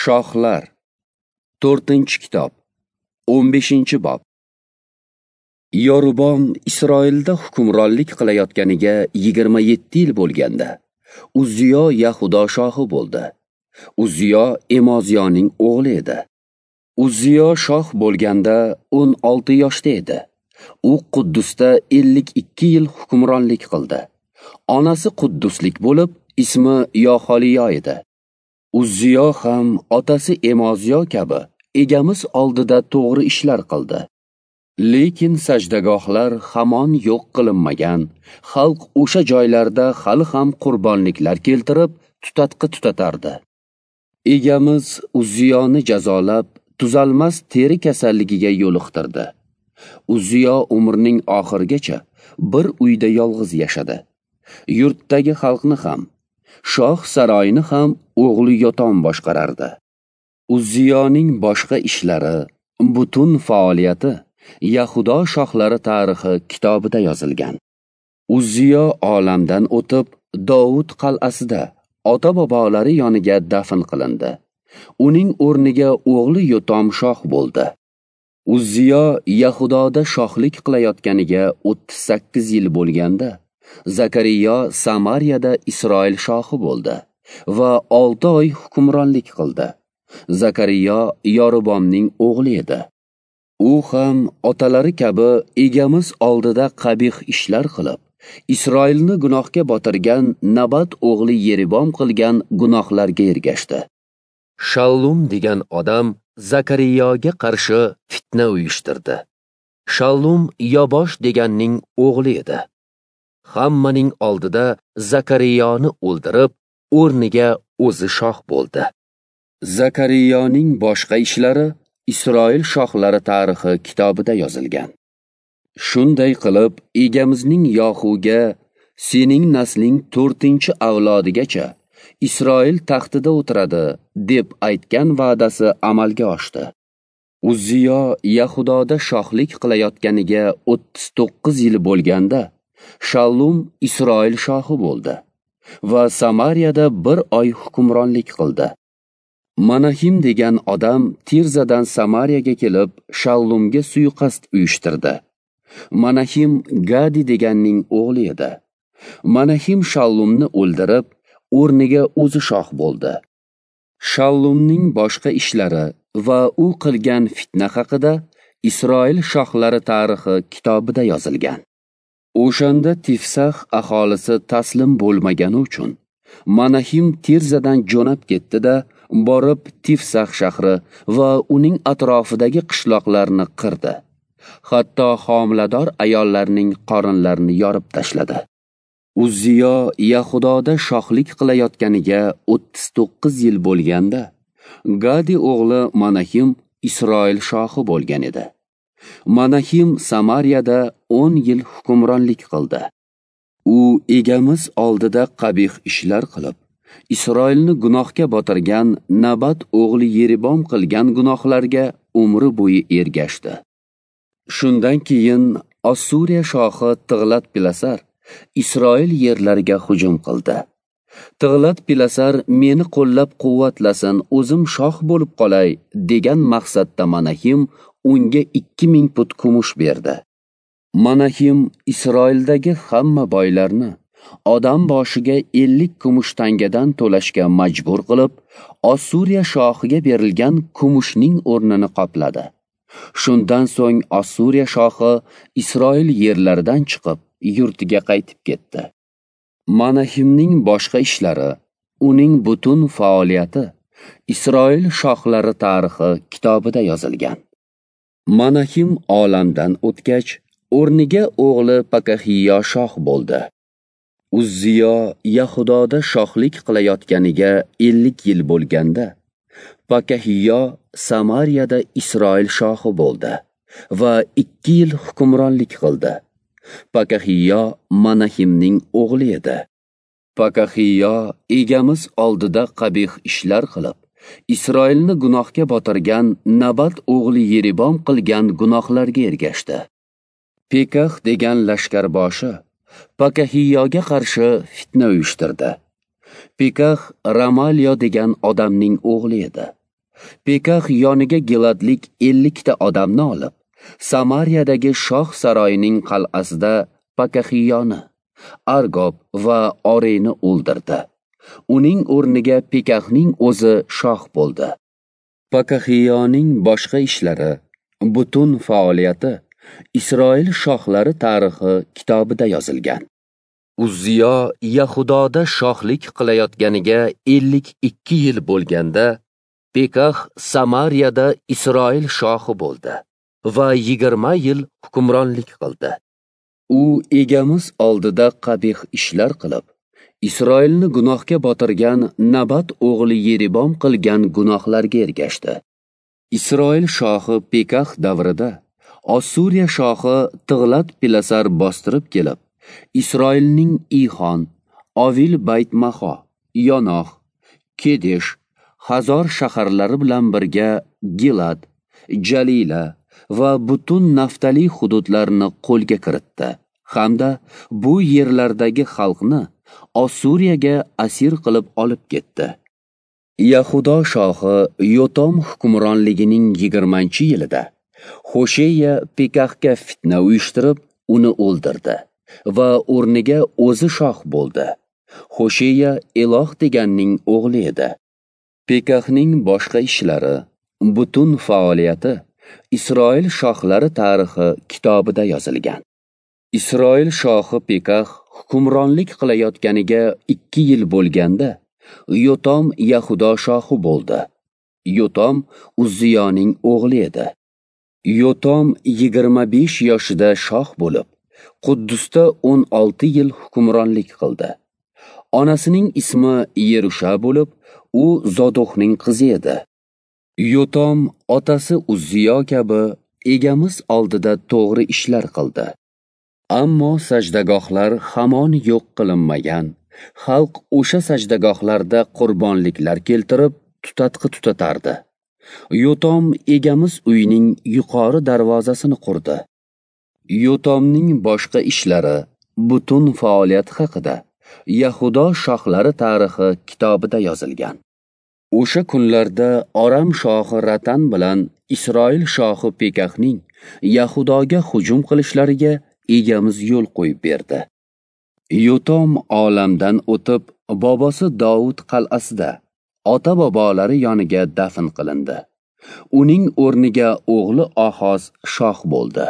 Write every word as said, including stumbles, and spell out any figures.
Shohlar, to'rtinchi kitob, o'n beshinchi bob. Yorubom Isroilda hukmronlik qilayotganiga yigirma yetti yil bo'lganda, Uzziyo Yahudo shohi bo'ldi. Uzziyo Emoziyoning o'g'li edi. Uzziyo shoh bo'lganda o'n olti yoshda edi. U Quddusda ellik ikki yil hukmronlik qildi. Onasi qudduslik bo'lib, ismi Yoxoliyo edi. Uzziyo ham otasi Emoziyo kabi egamiz oldida to'g'ri ishlar qildi. Lekin sajdagohlar hamon yo'q qilinmagan, xalq o'sha joylarda hali ham qurbonliklar keltirib, tutatqi tutatardi. Egamiz Uzziyoni jazolab, tuzalmas teri kasalligiga yo'liqtirdi. Uzziyo umrining oxirigacha bir uyda yolg'iz yashadi. Yurtdagi xalqni ham, shoh saroyini ham o'g'li Yotom boshqarardi. Uzziyoning boshqa ishlari, butun faoliyati Yahudo shohlari tarixi kitobida yozilgan. Uzziyo olamdan o'tib, Dovud qal'asida ota-bobolari yoniga dafn qilindi. Uning o'rniga o'g'li Yotom shoh bo'ldi. Uzziyo Yahudoda shohlik qilayotganiga o'ttiz sakkiz yil bo'lganda, Zakariyo Samariyada Isroil shohi bo'ldi va olti oy hukmronlik qildi. Zakariyo Yorubomning o'g'li edi. U ham otalari kabi egamiz oldida qabih ishlar qilib, Isroilni gunohga botirgan Nabat o'g'li Yeribom qilgan gunohlarga ergashdi. Shallum degan odam Zakariyoga qarshi fitna uyushtirdi. Shallum Yobosh deganning o'g'li edi. Hammaning oldida Zakariyoni o'ldirib, o'rniga o'zi shoh bo'ldi. Zakariyoning boshqa ishlari Isroil shohlari tarixi kitobida yozilgan. Shunday qilib, egamizning Yohuga sening nasling to'rtinchi avlodigacha Isroil taxtida o'tiradi deb aytgan va'dasi amalga oshdi. Uzziyo Yahudoda shohlik qilayotganiga o'ttiz to'qqiz yil bo'lganda, Shallum Isroil shohi bo'ldi va Samariyada bir oy hukmronlik qildi. Manahim degan odam Tirzadan Samariyaga kelib, Shallumga suiqasd uyushtirdi. Manahim Gadi deganning o'g'li edi. Manahim Shallumni o'ldirib, o'rniga o'zi shoh bo'ldi. Shallumning boshqa ishlari va u qilgan fitna haqida Isroil shohlari tarixi kitobida yozilgan. O'shanda Tifsax aholisi taslim bo'lmagani uchun Manahim Tirzadan jo'nab ketdi-da, borib Tifsax shahri va uning atrofidagi qishloqlarni qirdi. Hatto homilador ayollarning qorinlarini yorib tashladi. Uzziyo Yahudoda shohlik qilayotganiga o'ttiz to'qqiz yil bo'lganda, Gadi o'g'li Manahim Isroil shohi bo'lgan edi. Manahim Samariyada o'n yil hukmronlik qildi. U egamiz oldida qabih ishlar qilib, Isroilni gunohga botirgan Nabat o'g'li Yeribom qilgan gunohlarga umri bo'yi ergashdi. Shundan keyin Ossuriya shohi Tiglat-Pilasar Isroil yerlariga hujum qildi. Tiglat-Pilasar meni qo'llab-quvvatlasin, o'zim shoh bo'lib qolay degan maqsadda Manahim unga ikki ming put kumush berdi. Manahim Isroildagi hamma boylarni odam boshiga ellik kumush tangadan to'lashga majbur qilib, Ossuriya shohiga berilgan kumushning o'rnini qopladi. Shundan so'ng Ossuriya shohi Isroil yerlaridan chiqib, yurtiga qaytib ketdi. Manahimning boshqa ishlari, uning butun faoliyati Isroil shohlari tarixi kitobida yozilgan. Manahim olamdan o'tgach, o'rniga o'g'li Pakahiyo shoh bo'ldi. Uzziyo Yahudoda shohlik qilayotganiga ellik yil bo'lganda, Pakahiyo Samariyada Isroil shohi bo'ldi va ikki yil hukmronlik qildi. Pakahiyo Manahimning o'g'li edi. Pakahiyo egamiz oldida qabih ishlar qilib, Isroilni gunohga botirgan Nabat o'g'li Yeribom qilgan gunohlarga ergashdi. Pekax degan lashkarboshi Pakahiyoga qarshi fitna uyushtirdi. Pekax Ramaliyo degan odamning o'g'li edi. Pekax yoniga Giladlik ellikta odamni olib, Samariyadagi shoh saroyining qal'asida Pakaxiyoni, Argob va Oreni o'ldirdi. Uning o'rniga Pekaxning o'zi shoh bo'ldi. Pakaxiyoning boshqa ishlari, butun faoliyati Isroil shohlari tarixi kitobida yozilgan. Uzziyo Yahudoda shohlik qilayotganiga ellik ikki yil bo'lganda, Pekax Samariyada Isroil shohi bo'ldi va yigirma yil hukmronlik qildi. U egamiz oldida qabih ishlar qilib, Isroilni gunohga botirgan Nabat o'g'li Yeribom qilgan gunohlarga ergashdi. Isroil shohi Pekax davrida Ossuriya shohi Tig'lat-Pilasar bostirib kelib, Isroilning Ixon, Ovil Bayt-Maho, Yonoh, Kedesh, Hazor shaharlari bilan birga Gilad, Jalila va butun Naftali hududlarini qo'lga kiritdi hamda bu yerlardagi xalqni Ossuriyaga asir qilib olib ketdi. Yahudo shohi Yotom hukmronligining yigirmanchi yilida Hosheya Pekaxga fitna uyushtirib, uni o'ldirdi va o'rniga o'zi shoh bo'ldi. Hosheya Eloh deganning o'g'li edi. Pekaxning boshqa ishlari, butun faoliyati Isroil shohlari tarixi kitobida yozilgan. Isroil shohi Pekax hukmronlik qilayotganiga ikki yil bo'lganda, Yotom Yahudo shohi bo'ldi. Yotom Uzziyoning o'g'li edi. Yotom yigirma besh yoshida shoh bo'lib, Quddusda o'n olti yil hukmronlik qildi. Onasining ismi Yerusha bo'lib, u Zodoqning qizi edi. Yotom otasi Uzziyo kabi egamiz oldida to'g'ri ishlar qildi. Ammo sajdagohlar hamon yo'q qilinmagan. Xalq o'sha sajdagohlarda qurbonliklar keltirib, tutatqi tutatardi. Yotom egamiz uyining yuqori darvozasini qurdi. Yotomning boshqa ishlari, butun faoliyati haqida Yahudo shohlari tarixi kitobida yozilgan. O'sha kunlarda Aram shohi Ratan bilan Isroil shohi Pekaxning Yahudoga hujum qilishlariga egamiz yo'l qo'yib berdi. Yotom olamdan o'tib, bobosi Davud qal'asida ota-bobolari yoniga dafn qilindi. Uning o'rniga o'g'li Ohoz shoh bo'ldi.